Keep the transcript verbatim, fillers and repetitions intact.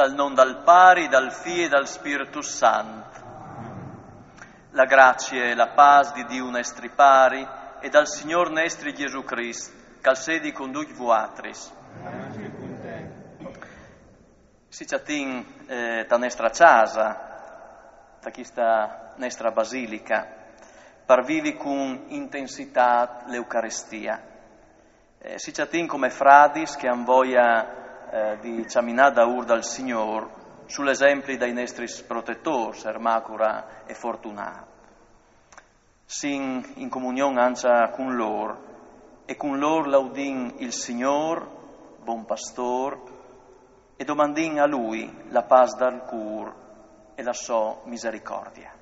Dal non dal Pari, dal Fi e dal Spirtus Sant. La grazie e la pâs di Diu nestri Pari e dal Signôr nestri Jesù Crist, che al sedi cun ducj vuatris. Si cjatìn eh, ta nestra cjasa, ta chista nestra basilica, par vivi cun intensitât l'Eucaristia. Eh, si cjatìn come fradis che àn voia eh, di cjaminâ daûr dal Signôr sul esempli dai nestris protetôrs, Ermacora e Fortunât. Sin in comunion ancja cun lôr e cun lôr laudìn il Signôr, bon pastôr, e domandìn a lui la pâs dal cûr e la sô misericòrdia.